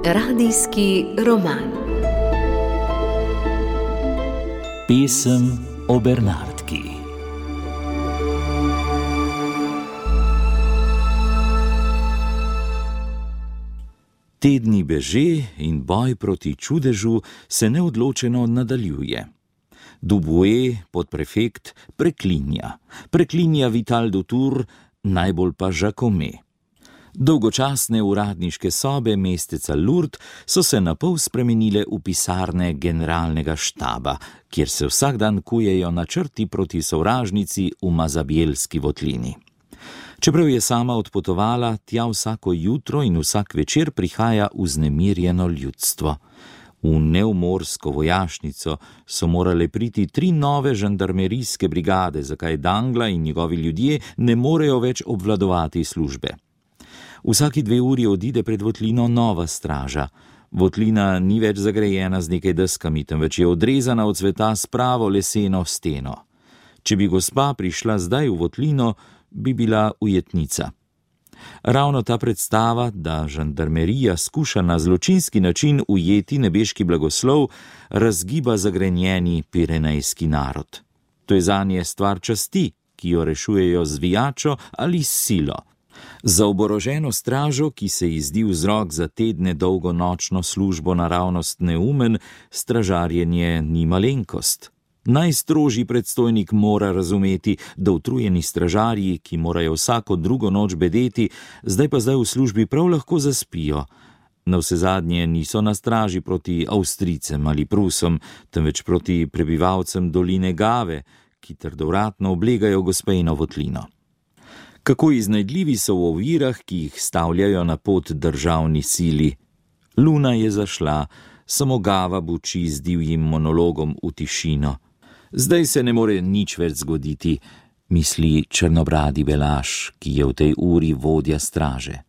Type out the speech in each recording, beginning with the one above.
Radijski roman. Pesem o Bernardki. Tedni beže in boj proti čudežu se neodločeno nadaljuje. Dubué, podprefekt, preklinja Vital Dutour, najbolj pa Jacome. Dolgočasne uradniške sobe mesteca Lourdes so se napol spremenile v pisarne generalnega štaba, kjer se vsak dan kujejo načrti proti sovražnici v Mazabielski votlini. Čeprav je sama odpotovala, tja vsako jutro in vsak večer prihaja vznemirjeno ljudstvo. V neumorsko vojašnico so morale priti 3 nove žandarmerijske brigade, zakaj Dangla in njegovi ljudje ne morejo več obvladovati službe. Vsaki 2 uri odide pred votlino nova straža. Votlina ni več zagrejena z nekaj deskami, temveč je odrezana od sveta s pravo leseno steno. Če bi gospa prišla zdaj v votlino, bi bila ujetnica. Ravno ta predstava, da žandarmerija skuša na zločinski način ujeti nebeški blagoslov, razgiba zagrenjeni pirenejski narod. To je zanje stvar časti, ki jo rešujejo z vijačo ali s silo. Za oboroženo stražo, ki se ji zdi vzrok za tedne dolgo nočno službo naravnost neumen, stražarjenje ni malenkost. Najstrožji predstojnik mora razumeti, da utrujeni stražarji, ki morajo vsako drugo noč bedeti, zdaj v službi prav lahko zaspijo. Navsezadnje niso na straži proti Avstrijcem ali Prusom, temveč proti prebivalcem doline Gave, ki trdovratno oblegajo gospejno votlino. Kako iznajdljivi so v ovirah, ki jih stavljajo na pot državni sili. Luna je zašla, samo Gava buči z divjim monologom v tišino. Zdaj se ne more nič več zgoditi, misli črnobradi Belaš, ki je v tej uri vodja straže.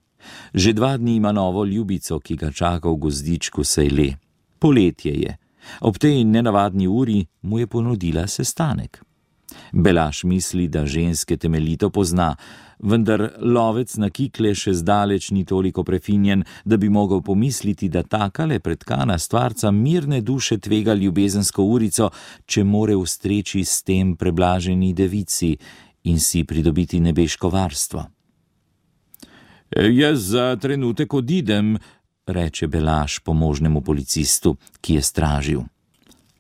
Že 2 dni ima novo ljubico, ki ga čaka v gozdičku Sejle. Poletje je. Ob tej nenavadni uri mu je ponudila sestanek. Belaš misli, da ženske temeljito pozna, vendar lovec na kikle še zdaleč ni toliko prefinjen, da bi mogel pomisliti, da takale pretkana stvarca mirne duše tvega ljubezensko urico, če more ustreči s tem preblaženi devici in si pridobiti nebeško varstvo. Jaz za trenutek odidem, reče Belaš pomožnemu policistu, ki je stražil.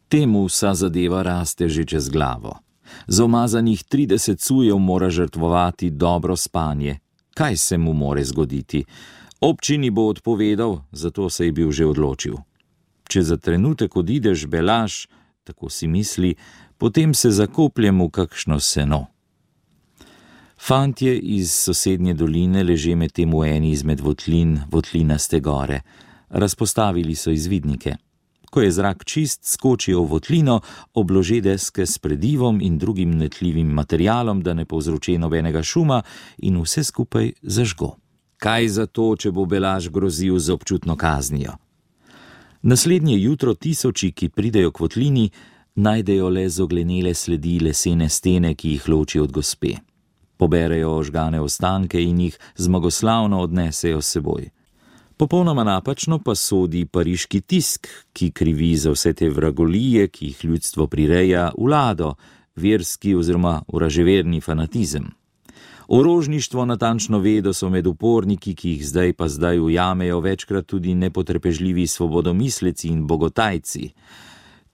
Temu vsa zadeva raste že čez glavo. Za umazanih 30 cujev mora žrtvovati dobro spanje. Kaj se mu more zgoditi? Občini bo odpovedal, zato se je bil že odločil. Če za trenutek odideš, Belaš, tako si misli, potem se zakopljem v kakšno seno. Fantje iz sosednje doline leže medtem v eni izmed votlin, votlinaste gore. Razpostavili so izvidnike. Ko je zrak čist, skočijo v votlino, oblože deske s predivom in drugim netljivim materialom, da ne povzroči nobenega šuma, in vse skupaj zažgo. Kaj za to, če bo Belaš grozil z občutno kaznijo? Naslednje jutro tisoči, ki pridejo k votlini, najdejo le zoglenele sledi lesene stene, ki jih loči od gospe. Poberejo ožgane ostanke in jih zmagoslavno odnesejo s seboj. Popolnoma napačno pa sodi pariški tisk, ki krivi za vse te vragolije, ki jih ljudstvo prireja, vlado, verski oziroma vraževerni fanatizem. Orožništvo natančno ve, da so med uporniki, ki jih zdaj ujamejo večkrat tudi nepotrpežljivi svobodomisleci in bogotajci.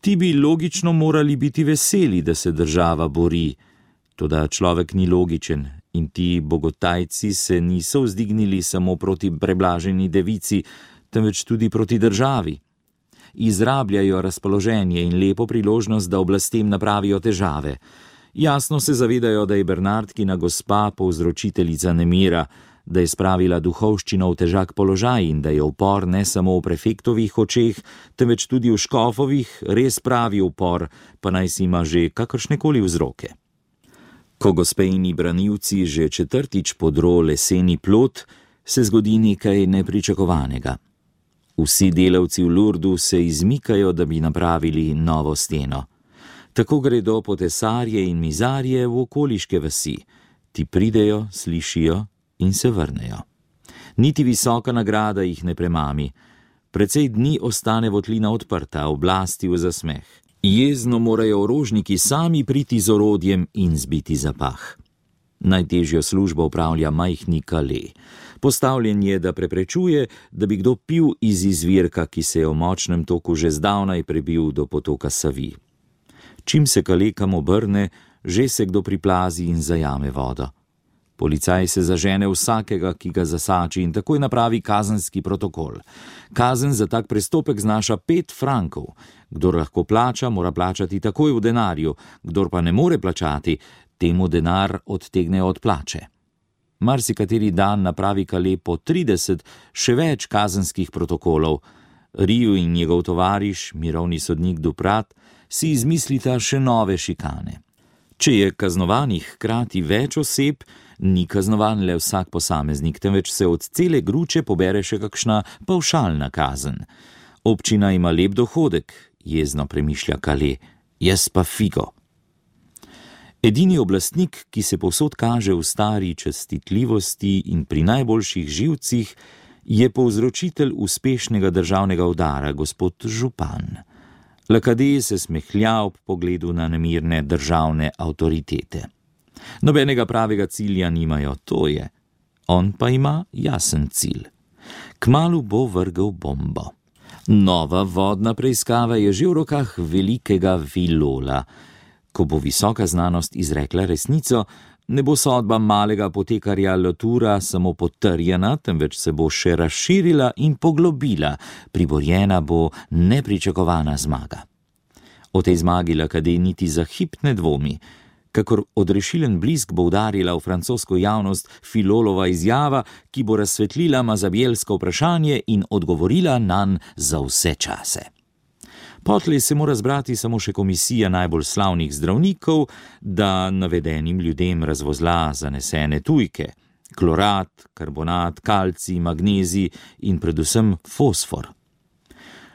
Ti bi logično morali biti veseli, da se država bori, toda človek ni logičen. In ti bogotajci se niso vzdignili samo proti preblaženi devici, temveč tudi proti državi. Izrabljajo razpoloženje in lepo priložnost, da oblastem napravijo težave. Jasno se zavedajo, da je Bernardkina gospa povzročiteljica nemira, da je spravila duhovščino v težak položaj in da je upor ne samo v prefektovih očeh, temveč tudi v škofovih res pravi upor, pa naj si ima že kakršnekoli vzroke. Ko gospejni branilci že 4. podro leseni plot, se zgodi nekaj nepričakovanega. Vsi delavci v Lourdu se izmikajo, da bi napravili novo steno. Tako gredo potesarje in mizarje v okoliške vasi. Ti pridejo, slišijo in se vrnejo. Niti visoka nagrada jih ne premami. Precej dni ostane votlina odprta, oblasti v zasmeh. Jezno morajo orožniki sami priti z orodjem in zbiti zapah. Najtežjo službo opravlja majhni Calais. Postavljen je, da preprečuje, da bi kdo pil iz izvirka, ki se je v močnem toku že zdavnaj prebil do potoka Savi. Čim se Calais kam obrne, že se kdo priplazi in zajame vodo. Policaj se zažene vsakega, ki ga zasači, in takoj napravi kazenski protokol. Kazen za tak prestopek znaša 5 frankov. Kdor lahko plača, mora plačati takoj v denarju, kdor pa ne more plačati, temu denar odtegnejo od plače. Marsikateri dan napravi Calais po 30, še več kazenskih protokolov. Riu in njegov tovariš, mirovni sodnik Duprat, si izmislita še nove šikane. Če je kaznovanih hkrati več oseb, ni kaznovan le vsak posameznik, temveč se od cele gruče pobere še kakšna pavšalna kazen. Občina ima lep dohodek, jezno premišlja Calais, jaz pa figo. Edini oblastnik, ki se povsod kaže v stari čestitljivosti in pri najboljših živcih, je povzročitelj uspešnega državnega udara, gospod župan. Lacadé se smehlja ob pogledu na nemirne državne avtoritete. Nobenega pravega cilja nimajo, to je. On pa ima jasen cilj. Kmalu bo vrgel bombo. Nova vodna preiskava je že v rokah velikega Villola. Ko bo visoka znanost izrekla resnico, ne bo sodba malega apotekarja Latoura samo potrjena, temveč se bo še razširila in poglobila, priborjena bo nepričakovana zmaga. O tej zmagi Lacadé niti za hip ne dvomi. Kakor odrešilen blisk bo udarila v francosko javnost Filolova izjava, ki bo razsvetlila mazabjelsko vprašanje in odgovorila nanj za vse čase. Potlej se mora zbrati samo še komisija najbolj slavnih zdravnikov, da navedenim ljudem razvozla zanesene tujke, klorat, karbonat, kalcij, magnezij in predvsem fosfor.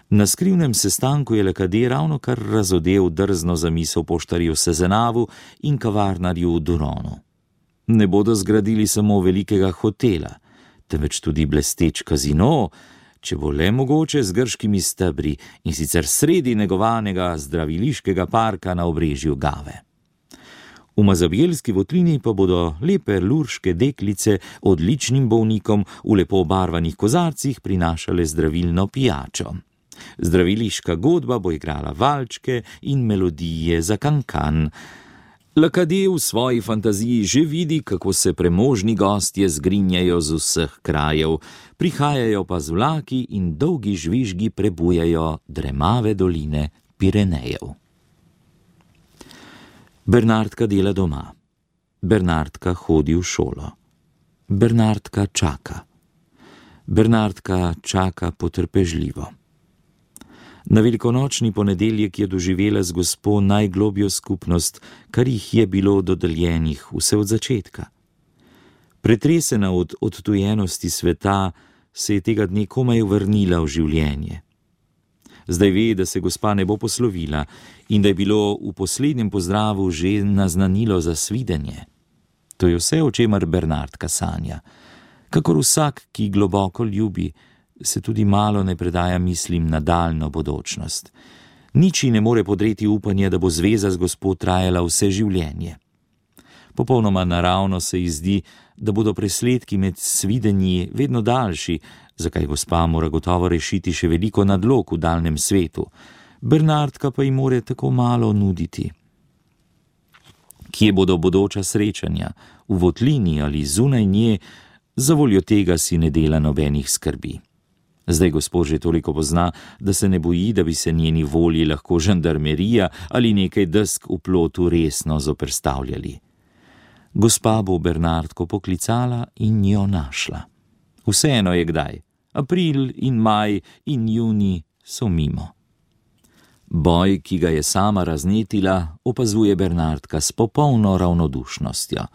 Na skrivnem sestanku je Lacadé ravno kar razodel drzno zamisel poštarju Sezenavu in kavarnarju Duronu. Ne bodo zgradili samo velikega hotela, temveč tudi blesteč kazino, če bo le mogoče z grškimi stebri, in sicer sredi negovanega zdraviliškega parka na obrežju Gave. V mazabjelski votlini pa bodo lepe lurške deklice odličnim bolnikom v lepo obarvanih kozarcih prinašale zdravilno pijačo. Zdraviliška godba bo igrala valčke in melodije za kankan. Lacadé v svoji fantaziji že vidi, kako se premožni gostje zgrinjajo z vseh krajev, prihajajo pa z vlaki in dolgi žvižgi prebujajo dremave doline Pirenejev. Bernardka dela doma. Bernardka hodi v šolo. Bernardka čaka. Bernardka čaka potrpežljivo. Na velikonočni ponedeljek je doživela z gospo najglobjo skupnost, kar jih je bilo dodeljenih vse od začetka. Pretresena od odtujenosti sveta, se je tega dne komaj vrnila v življenje. Zdaj ve, da se gospa ne bo poslovila in da je bilo v poslednjem pozdravu že naznanilo za svidenje. To je vse, o čemer Bernardka sanja. Kakor vsak, ki globoko ljubi, se tudi malo ne predaja mislim na daljno bodočnost. Niči ne more podreti upanje, da bo zveza z gospo trajala vse življenje. Popolnoma naravno se ji zdi, da bodo presledki med svidenji vedno daljši, zakaj gospa mora gotovo rešiti še veliko nadlog v daljnem svetu. Bernardka pa ji more tako malo nuditi. Kje bodo bodoča srečanja, v votlini ali zunaj nje, zavoljo tega si ne dela nobenih skrbi. Zdaj gospod že toliko pozna, da se ne boji, da bi se njeni volji lahko žandarmerija ali nekaj desk v plotu resno zoperstavljali. Gospa bo Bernardko poklicala in jo našla. Vseeno je kdaj. April in maj in junij so mimo. Boj, ki ga je sama raznetila, opazuje Bernardka s popolno ravnodušnostjo.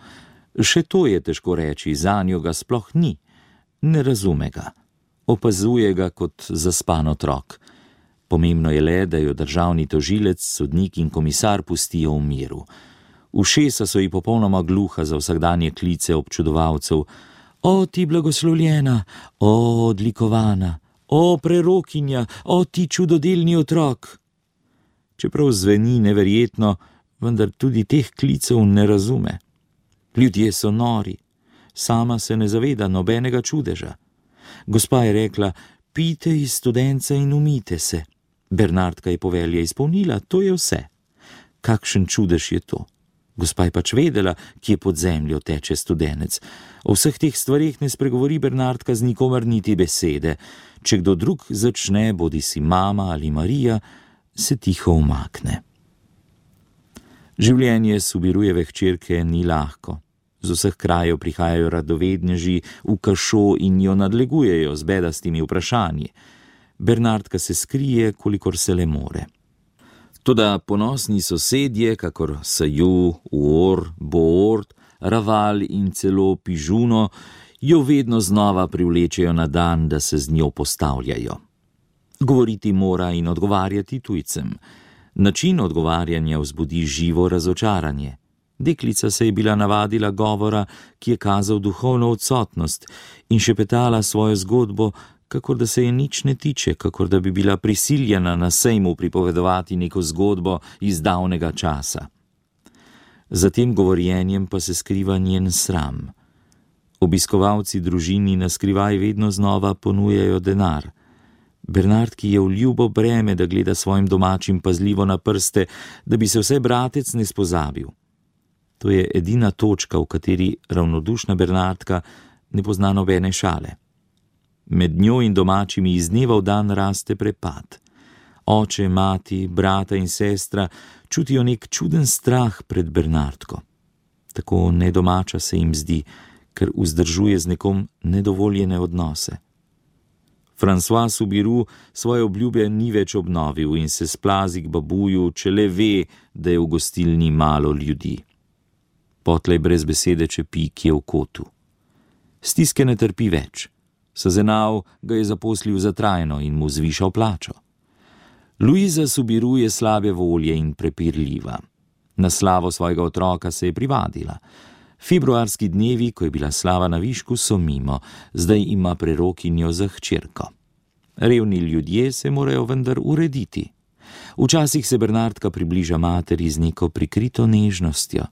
Še to je težko reči, zanjo ga sploh ni. Ne razume ga. Opazuje ga kot zaspan otrok. Pomembno je le, da jo državni tožilec, sodnik in komisar pustijo v miru. Ušesa so ji popolnoma gluha za vsakdanje klice občudovalcev. O, ti blagoslovljena, o, odlikovana, o, prerokinja, o, ti čudodelni otrok. Čeprav zveni neverjetno, vendar tudi teh klicev ne razume. Ljudje so nori, sama se ne zaveda nobenega čudeža. Gospa je rekla, pijte iz studenca in umijte se. Bernardka je povelje izpolnila, to je vse. Kakšen čudež je to? Gospa je pač vedela, kje pod zemljo teče studenec. O vseh teh stvarih ne spregovori Bernardka z nikomer niti besede. Če kdo drug začne, bodi si mama ali Marija, se tiho umakne. Življenje Subirujeve hčerke ni lahko. Z vseh krajev prihajajo radovedneži v Kašo in jo nadlegujejo z bedastimi vprašanji. Bernardka se skrije, kolikor se le more. Toda ponosni sosedje, kakor Saju, Uor, Boort, Raval in celo Pižuno, jo vedno znova privlečejo na dan, da se z njo postavljajo. Govoriti mora in odgovarjati tujcem. Način odgovarjanja vzbudi živo razočaranje. Deklica se je bila navadila govora, ki je kazal duhovno odsotnost, in šepetala svojo zgodbo, kakor da se je nič ne tiče, kakor da bi bila prisiljena na sejmu pripovedovati neko zgodbo iz davnega časa. Za tem govorjenjem pa se skriva njen sram. Obiskovalci družini na skrivaj vedno znova ponujajo denar. Bernardki je v ljubo breme, da gleda svojim domačim pazljivo na prste, da bi se vsaj bratec ne spozabil. To je edina točka, v kateri ravnodušna Bernardka ne pozna nobene šale. Med njo in domačimi iz dneva v dan raste prepad. Oče, mati, brata in sestra čutijo nek čuden strah pred Bernardko. Tako nedomača se jim zdi, ker vzdržuje z nekom nedovoljene odnose. François Subiru svoje obljube ni več obnovil in se splazi k babuju, če le ve, da je v gostilni malo ljudi. Potlej brez besede čepi, ki je v kotu. Stiske ne trpi več. Sazenav ga je zaposlil za trajno in mu zvišal plačo. Luiza Subiru je slabe volje in prepirljiva. Na slavo svojega otroka se je privadila. Februarski dnevi, ko je bila slava na višku, so mimo, zdaj ima prerokinjo za hčerko. Revni ljudje se morajo vendar urediti. Včasih se Bernardka približa materi z neko prikrito nežnostjo.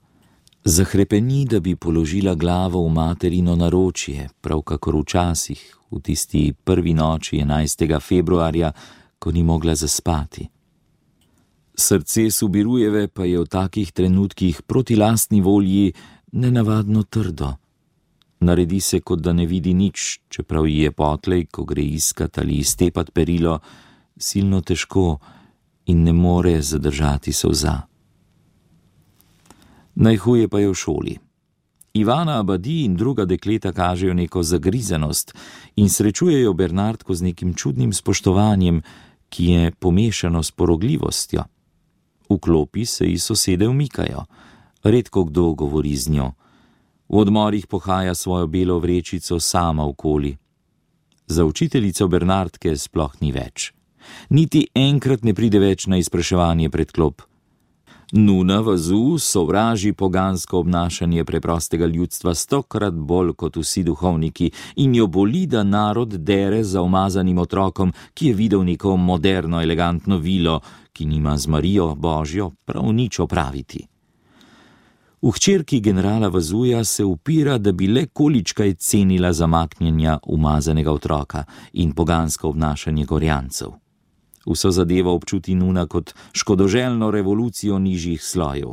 Zahrepeni, da bi položila glavo v materino naročje, prav kakor včasih, v tisti prvi noči 11. februarja, ko ni mogla zaspati. Srce Subirujeve pa je v takih trenutkih proti lastni volji nenavadno trdo. Naredi se, kot da ne vidi nič, čeprav ji je potlej, ko gre iskat ali iztepat perilo, silno težko in ne more zadržati solza. Najhuje pa je v šoli. Ivana Abadi in druga dekleta kažejo neko zagrizenost in srečujejo Bernardko z nekim čudnim spoštovanjem, ki je pomešano s porogljivostjo. V klopi se ji sosede umikajo. Redko kdo govori z njo. V odmorih pohaja svojo belo vrečico sama okoli. Za učiteljico Bernardke sploh ni več. Niti enkrat ne pride več na izpraševanje pred klop. Nuna Vazu sovraži pogansko obnašanje preprostega ljudstva 100-krat bolj kot vsi duhovniki in jo boli, da narod dere za umazanim otrokom, ki je videl neko moderno, elegantno vilo, ki nima z Marijo Božjo prav nič opraviti. V hčerki generala Vazuja se upira, da bi le količkaj cenila zamaknjenja umazanega otroka in pogansko obnašanje gorjancev. Vso zadevo občuti Nuna kot škodoželjno revolucijo nižjih slojev.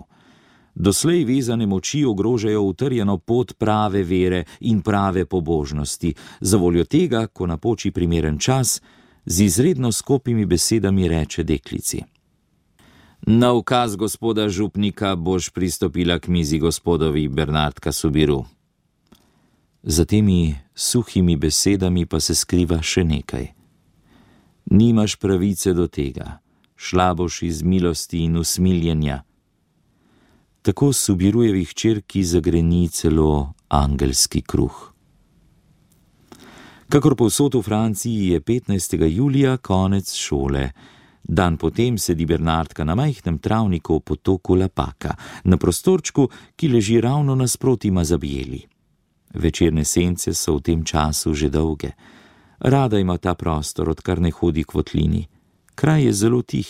Doslej vezane moči ogrožajo utrjeno pot prave vere in prave pobožnosti, zavoljo tega, ko napoči primeren čas, z izredno skopimi besedami reče deklici. Na ukaz gospoda župnika boš pristopila k mizi gospodovi Bernardka Subiru. Za temi suhimi besedami pa se skriva še nekaj. Nimaš pravice do tega, šla boš iz milosti in usmiljenja. Tako Subirujevi hčerki zagreni celo angelski kruh. Kakor povsod v Franciji je 15. julija konec šole. Dan potem sedi Bernardka na majhnem travniku v potoku Lapaka, na prostorčku, ki leži ravno nasproti Mazabijeli. Večerne sence so v tem času že dolge. Rada ima ta prostor, odkar ne hodi k votlini. Kraj je zelo tih.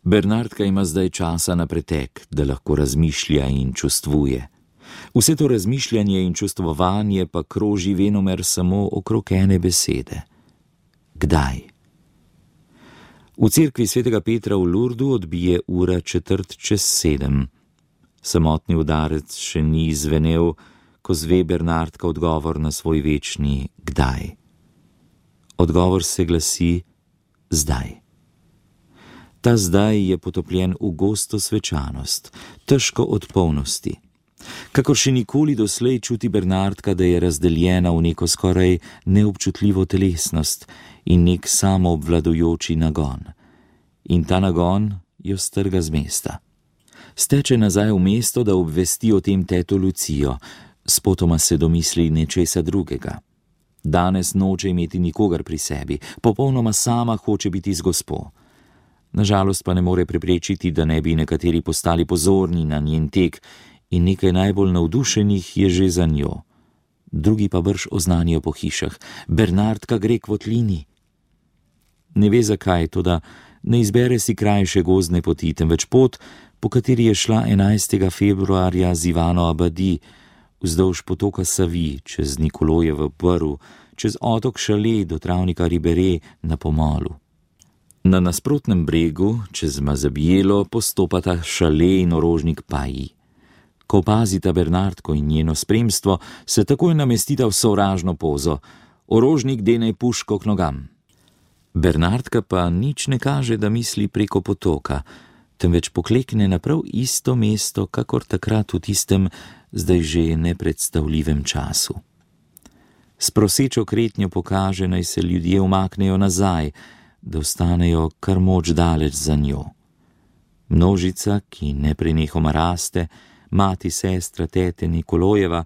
Bernardka ima zdaj časa na pretek, da lahko razmišlja in čustvuje. Vse to razmišljanje in čustvovanje pa kroži venomer samo okrog ene besede. Kdaj? V cerkvi svetega Petra v Lurdu odbije ura 6:45. Samotni udarec še ni zvenel, ko zve Bernardka odgovor na svoj večni kdaj. Odgovor se glasi zdaj. Ta zdaj je potopljen v gosto svečanost, težko od polnosti. Kakor še nikoli doslej čuti Bernardka, da je razdeljena v neko skoraj neobčutljivo telesnost in nek samoobvladujoči nagon. In ta nagon jo strga z mesta. Steče nazaj v mesto, da obvesti o tem teto Lucijo, spotoma se domisli nečesa drugega. Danes noče imeti nikogar pri sebi, popolnoma sama hoče biti z gospo. Nažalost pa ne more preprečiti, da ne bi nekateri postali pozorni na njen tek, in nekaj najbolj navdušenih je že za njo. Drugi pa brž oznanijo po hišah: Bernardka gre k votlini. Ne ve zakaj, toda ne izbere si krajše gozdne poti, temveč pot, po kateri je šla 11. februarja z Ivano Abadi, vzdolž potoka Savi, čez Nikolojevo Prv, čez otok Šale do travnika Ribere na Pomolu. Na nasprotnem bregu, čez Mazabijelo, postopata Šale in orožnik Paji. Ko opazita Bernardko in njeno spremstvo, se takoj namestita v sovražno pozo. Orožnik dene puško k nogam. Bernardka pa nič ne kaže, da misli preko potoka, temveč poklekne na prav isto mesto, kakor takrat v tistem, zdaj že nepredstavljivem času. S prosečo kretnjo pokaže, naj se ljudje umaknejo nazaj, da ostanejo kar moč daleč za njo. Množica, ki neprenehoma raste, mati, sestra, tete Nikolojeva,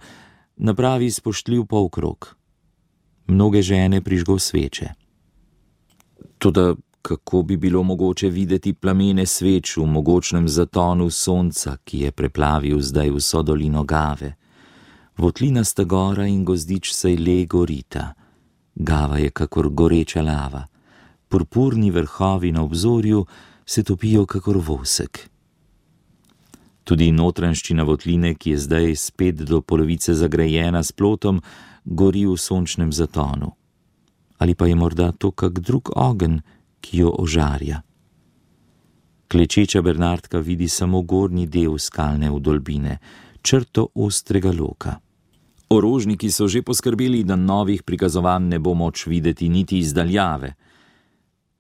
napravi spoštljiv polkrog. Mnoge žene prižgo sveče. Toda kako bi bilo mogoče videti plamene sveč v mogočnem zatonu sonca, ki je preplavil zdaj vso dolino Gave? Votlinasta gora in gozdič Sejle gorita. Gava je kakor goreča lava. Purpurni vrhovi na obzorju se topijo kakor vosek. Tudi notranjščina votline, ki je zdaj spet do polovice zagrajena s plotom, gori v sončnem zatonu. Ali pa je morda to kak drug ogenj, ki jo ožarja. Klečeča Bernardka vidi samo gornji del skalne vdolbine, črto ostrega loka. Orožniki so že poskrbeli, da novih prikazovanj ne bo moč videti niti izdaljave.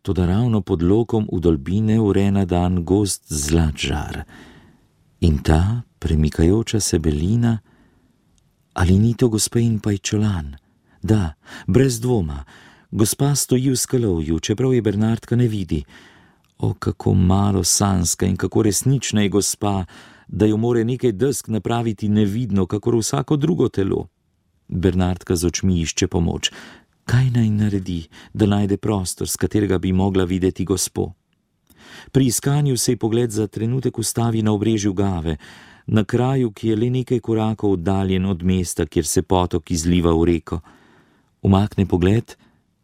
Toda ravno pod lokom vdolbine vre na dan gost zlat žar. In ta premikajoča se belina, ali ni to gospe in pajčolan? Da, brez dvoma, gospa stoji v skalovju, čeprav je Bernardka ne vidi. O, kako malo sanska in kako resnična je gospa, da jo more nekaj desk napraviti nevidno, kakor vsako drugo telo. Bernardka z očmi išče pomoč. Kaj naj naredi, da najde prostor, s katerega bi mogla videti gospo? Pri iskanju se ji pogled za trenutek ustavi na obrežju Gave, na kraju, ki je le nekaj korakov oddaljen od mesta, kjer se potok izliva v reko. Umakne pogled,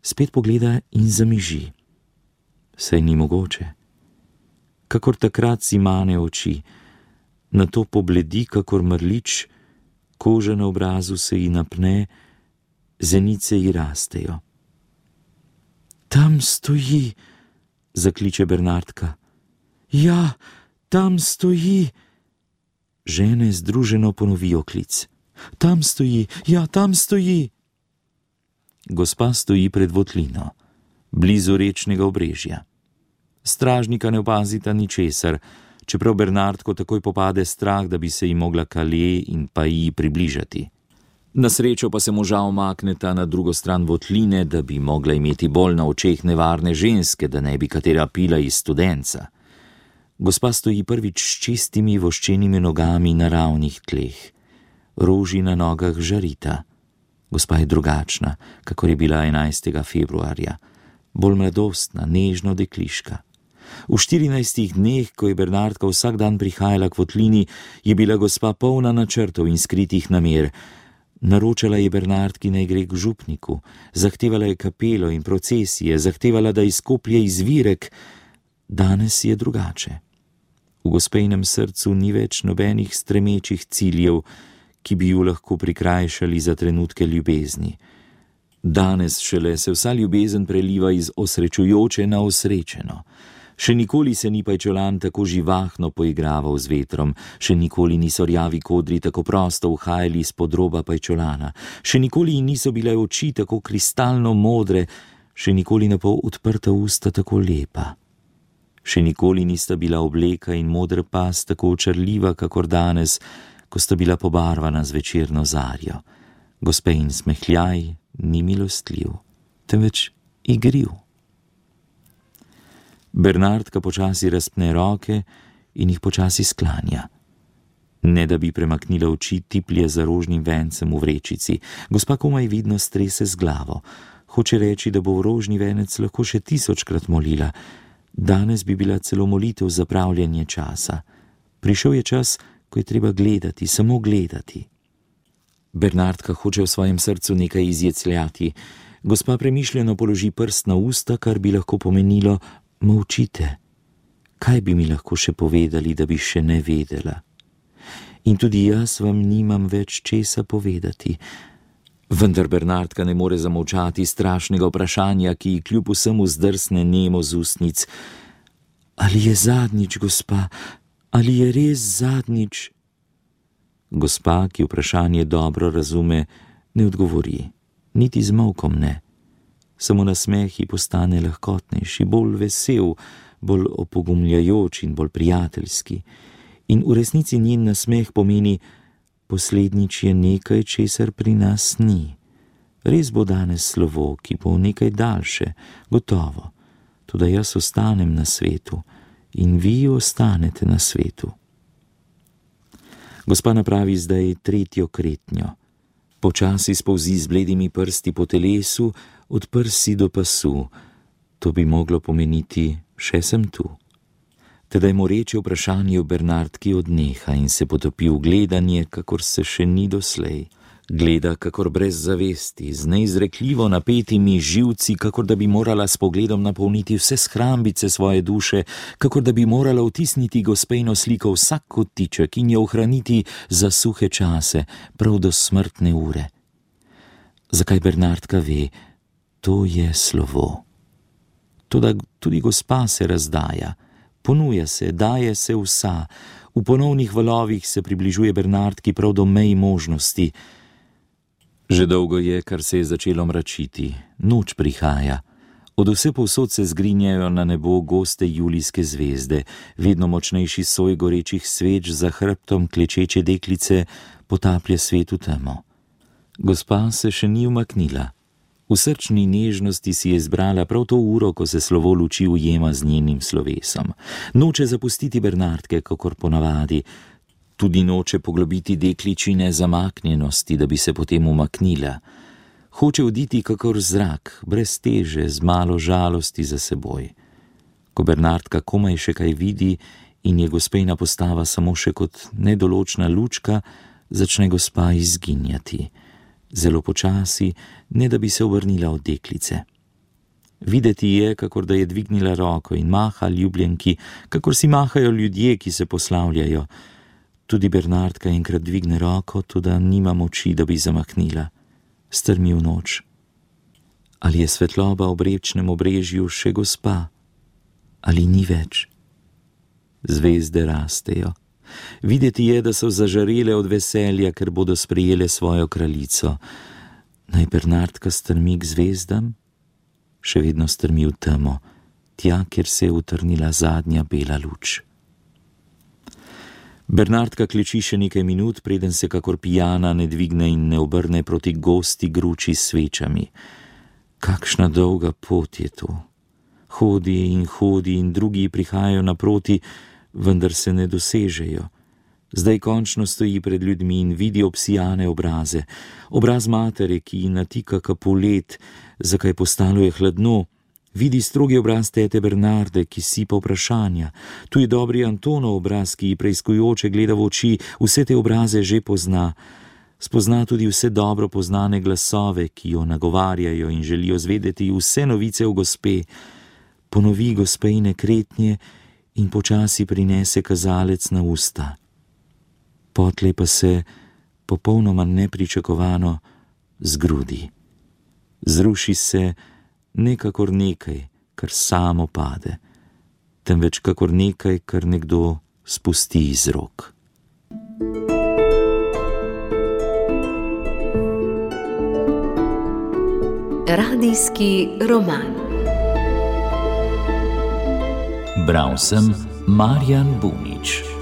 spet pogleda in zamiži. Saj ni mogoče. Kakor takrat si mane oči, nato pobledi kakor mrlič, koža na obrazu se ji napne, zenice ji rastejo. Tam stoji, zakliče Bernardka. Ja, tam stoji. Žene združeno ponovijo klic. Tam stoji, ja, tam stoji. Gospa stoji pred votlino, blizu rečnega obrežja. Stražnika ne opazita ničesar, čeprav Bernardko takoj popade strah, da bi se ji mogla Kale in Paji približati. Na srečo pa se moža omakneta na drugo stran votline, da bi mogla imeti bolj na očeh nevarne ženske, da ne bi katera pila iz studenca. Gospa stoji prvič s čistimi voščenimi nogami na ravnih tleh. Roži na nogah žarita. Gospa je drugačna, kakor je bila 11. februarja. Bolj mladostna, nežno dekliška. V 14 dneh, ko je Bernardka vsak dan prihajala k votlini, je bila gospa polna načrtov in skritih namer. Naročala je Bernardki, naj gre k župniku, zahtevala je kapelo in procesije, zahtevala, da izkoplje izvirek. Danes je drugače. V gospejnem srcu ni več nobenih stremečih ciljev, ki bi ju lahko prikrajšali za trenutke ljubezni. Danes šele se vsa ljubezen preliva iz osrečujoče na osrečeno. Še nikoli se ni pajčolan tako živahno poigraval z vetrom, še nikoli niso rjavi kodri tako prosto uhajali izpod roba pajčolana, še nikoli niso bile oči tako kristalno modre, še nikoli na pol odprta usta tako lepa. Še nikoli nista bila obleka in modra pas tako očarljiva, kakor danes, ko sta bila pobarvana z večerno zarjo. Gospejin smehljaj ni milostljiv, temveč igriv. Bernardka počasi razpne roke in jih počasi sklanja. Ne da bi premaknila oči, tiplje za rožnim vencem v vrečici. Gospa komaj vidno strese z glavo. Hoče reči, da bo v rožni venec lahko še 1000-krat molila. Danes bi bila celo molitev za pravljenje časa. Prišel je čas, ko je treba gledati, samo gledati. Bernardka hoče v svojem srcu nekaj izjecljati. Gospa premišljeno položi prst na usta, kar bi lahko pomenilo: molčite. Kaj bi mi lahko še povedali, da bi še ne vedela? In tudi jaz vam nimam več česa povedati. Vendar Bernardka ne more zamolčati strašnega vprašanja, ki ji kljub vsemu zdrsne nemo z ustnic. Ali je zadnjič, gospa? Ali je res zadnjič? Gospa, ki vprašanje dobro razume, ne odgovori. Niti z molkom ne. Samo nasmeh ji postane lahkotnejši, bolj vesel, bolj opogumljajoč in bolj prijateljski. In v resnici njen nasmeh pomeni: poslednjič je nekaj, česar pri nas ni. Res bo danes slovo, ki bo nekaj daljše, gotovo. Toda jaz ostanem na svetu in vi ostanete na svetu. Gospa napravi zdaj 3. kretnjo. Počasi spolzi z bledimi prsti po telesu, od prsi do pasu. To bi moglo pomeniti: še sem tu. Tedaj moreče vprašanje v Bernardki odneha in se potopi v gledanje, kakor se še ni doslej. Gleda kakor brez zavesti, z neizrekljivo napetimi živci, kakor da bi morala s pogledom napolniti vse shrambice svoje duše, kakor da bi morala vtisniti gospejno sliko vsak kotiček in jo ohraniti za suhe čase, prav do smrtne ure. Zakaj Bernardka ve? To je slovo. Toda tudi gospa se razdaja, ponuja se, daje se vsa. V ponovnih valovih se približuje Bernardki prav do mej možnosti. Že dolgo je, kar se je začelo mračiti. Noč prihaja. Od vse povsod se zgrinjajo na nebo goste julijske zvezde. Vedno močnejši soj gorečih sveč za hrbtom klečeče deklice potaplja svet v temo. Gospa se še ni umaknila. V srčni nežnosti si je izbrala prav to uro, ko se slovo luči ujema z njenim slovesom. Noče zapustiti Bernardke, kakor ponavadi. Tudi noče poglobiti dekličine zamaknjenosti, da bi se potem umaknila. Hoče oditi kakor zrak, brez teže, z malo žalosti za seboj. Ko Bernardka komaj še kaj vidi in je gospejna postava samo še kot nedoločna lučka, začne gospa izginjati. Zelo počasi, ne da bi se obrnila od deklice. Videti je, kakor da je dvignila roko in maha ljubljenki, kakor si mahajo ljudje, ki se poslavljajo. Tudi Bernardka enkrat dvigne roko, toda nima moči, da bi zamahnila. Strmi v noč. Ali je svetloba ob rečnem obrežju še gospa? Ali ni več? Zvezde rastejo. Videti je, da so zažarele od veselja, ker bodo sprejele svojo kraljico. Naj Bernardka strmi k zvezdam? Še vedno strmi v temo, tja, kjer se je utrnila zadnja bela luč. Bernardka kleči še nekaj minut, preden se kakor pijana ne dvigne in ne obrne proti gosti gruči s svečami. Kakšna dolga pot je to. Hodi in drugi prihajajo naproti, vendar se ne dosežejo. Zdaj končno stoji pred ljudmi in vidi obsijane obraze. Obraz matere, ki ji natika kapulet, zakaj postalo je hladno. Vidi strogi obraz tete Bernarde, ki sipa vprašanja. Tu je dobri Antonov obraz, ki preiskujoče gleda v oči, vse te obraze že pozna. Spozna tudi vse dobro poznane glasove, ki jo nagovarjajo in želijo zvedeti vse novice o gospe. Ponovi gospejine kretnje in počasi prinese kazalec na usta. Potlej pa se, popolnoma nepričakovano, zgrudi. Zruši se ne kakor nekaj, kar samo pade, temveč kakor nekaj, kar nekdo spusti iz rok. Radijski roman. Bral sem Marjan Bunič.